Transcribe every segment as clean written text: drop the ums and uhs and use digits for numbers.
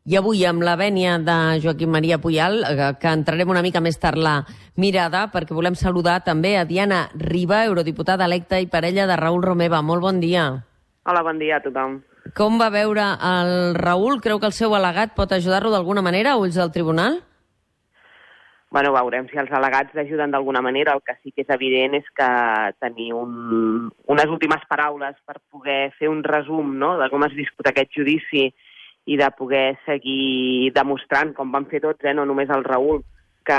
I avui, amb la vènia de Joaquim Maria Puyal, que entrarem una mica més tard la mirada, perquè volem saludar també a Diana Riba, eurodiputada electa i parella de Raül Romeva. Molt bon dia. Hola, bon dia a tothom. Com va veure el Raül? Creu que el seu al·legat pot ajudar-lo d'alguna manera a ulls del tribunal? Bueno, veurem si els al·legats l'ajuden d'alguna manera. El que sí que és evident és que tenir unes últimes paraules per poder fer un resum, no?, de com es viscut aquest judici i de poder seguir demostrant, com van fer tots, no només el Raül, que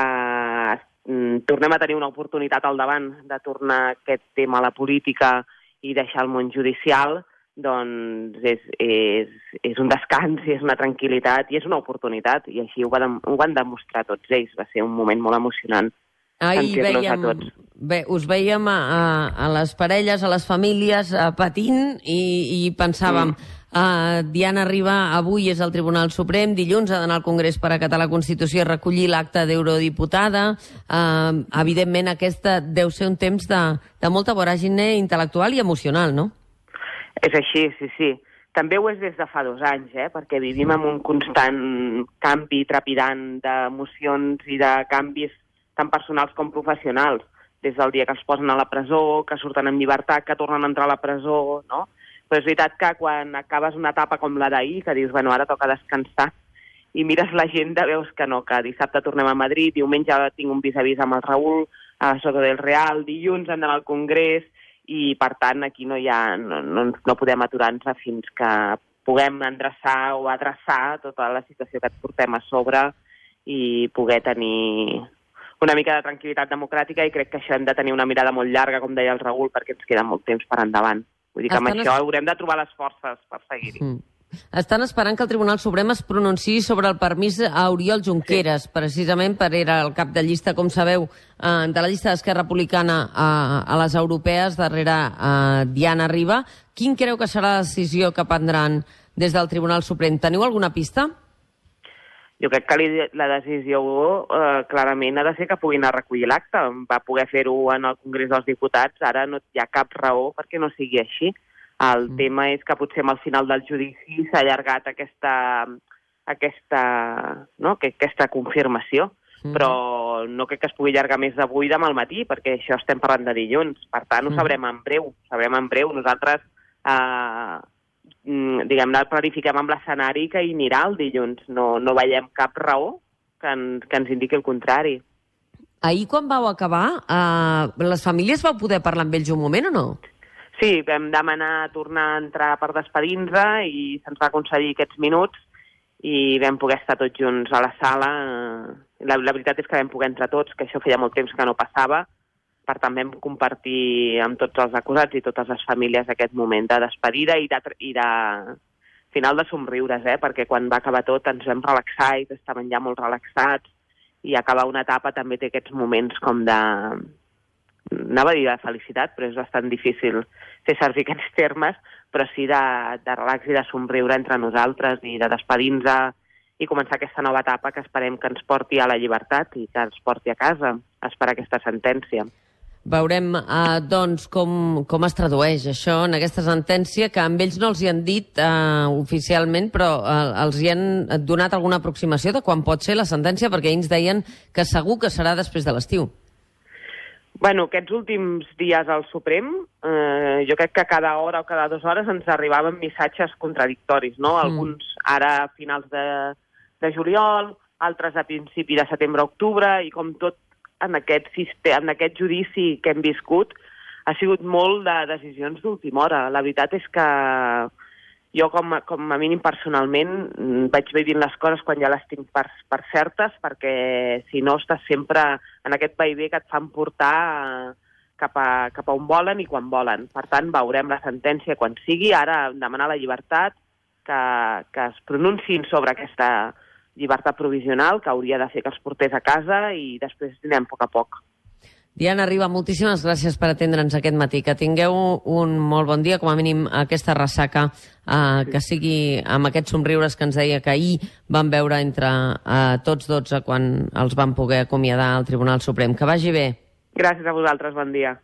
tornem a tenir una oportunitat al davant de tornar aquest tema a la política i deixar el món judicial, doncs és un descans, és una tranquil·litat i és una oportunitat, i així ho van demostrar tots ells. Va ser un moment molt emocionant sentir-los a tots. Bé, us veiem a les parelles, a les famílies, patint i pensàvem... Diana Riba avui és al Tribunal Suprem, dilluns ha d'anar al Congrés per acatar la Constitució i recollir l'acte d'eurodiputada. Evidentment, aquesta deu ser un temps de molta voràgine intel·lectual i emocional, no? És així, sí. També ho és des de fa 2 anys, perquè vivim en un constant canvi trepidant d'emocions i de canvis tant personals com professionals, des del dia que els posen a la presó, que surten en llibertat, que tornen a entrar a la presó, no? Però és veritat que quan acabes una etapa com la d'ahir, que dius, bueno, ara toca descansar, i mires l'agenda, veus que no, que dissabte tornem a Madrid, diumenge tinc un vis-a-vis amb el Raül, a Soto del Real, dilluns anem al Congrés, i per tant aquí no podem aturar-nos fins que puguem endreçar o adreçar tota la situació que et portem a sobre i poder tenir una mica de tranquil·litat democràtica, i crec que això hem de tenir una mirada molt llarga, com deia el Raül, perquè ens queda molt temps per endavant. Vull dir que amb això haurem de trobar les forces per seguir-hi. Estan esperant que el Tribunal Suprem es pronunciï sobre el permís a Oriol Junqueras, precisament per era el cap de llista, com sabeu, de la llista d'Esquerra Republicana a les europees, darrere Diana Riba. Quin creu que serà la decisió que prendran des del Tribunal Suprem? Teniu alguna pista? Jo crec que la decisió clarament ha de ser que puguin anar a recollir l'acte. Va poder fer-ho en el Congrés dels Diputats, ara no hi ha cap raó perquè no sigui així. El tema és que potser al final del judici s'ha allargat aquesta confirmació, però no crec que es pugui allargar més d'avui demà al matí, perquè això estem parlant de dilluns. Per tant, ho sabrem en breu. Nosaltres diguem-ne, planifiquem amb l'escenari que hi anirà el dilluns. No veiem cap raó que ens indiqui el contrari. Ahir, quan vau acabar, les famílies vau poder parlar amb ells un moment o no? Sí, vam demanar tornar a entrar per despedir-nos i se'ns va concedir aquests minuts i vam poder estar tots junts a la sala. La veritat és que vam poder entrar tots, que això feia molt temps que no passava. Per tant, vam compartir amb tots els acusats i totes les famílies aquest moment de despedida i de final de somriures, perquè quan va acabar tot ens vam relaxar i estaven ja molt relaxats, i acabar una etapa també té aquests moments com de... Anava a dir de felicitat, però és bastant difícil fer servir aquests termes, però sí de relax i de somriure entre nosaltres i de despedir-nos i començar aquesta nova etapa que esperem que ens porti a la llibertat i que ens porti a casa a esperar aquesta sentència. Veurem, doncs, com es tradueix això en aquesta sentència, que amb ells no els hi han dit oficialment, però els hi han donat alguna aproximació de quan pot ser la sentència, perquè ells deien que segur que serà després de l'estiu. Bueno, aquests últims dies al Suprem, jo crec que cada hora o cada 2 hores ens arribaven missatges contradictoris, no? Alguns ara a finals de juliol, altres a principi de setembre-octubre, i com tot en aquest judici que hem viscut ha sigut molt de decisions d'última hora. La veritat és que jo, com a mínim personalment, vaig vivint les coses quan ja les tinc per certes, perquè si no estàs sempre en aquest vaivé que et fan portar cap a on volen i quan volen. Per tant, veurem la sentència quan sigui. Ara demanar la llibertat, que es pronunciïn sobre aquesta llibertat provisional, que hauria de fer que els portés a casa, i després anem a poc. Diana Riba, moltíssimes gràcies per atendre'ns aquest matí. Que tingueu un molt bon dia, com a mínim aquesta ressaca, que sigui amb aquests somriures que ens deia que ahir van veure entre tots 12 quan els van poder acomiadar al Tribunal Suprem. Que vagi bé. Gràcies a vosaltres, bon dia.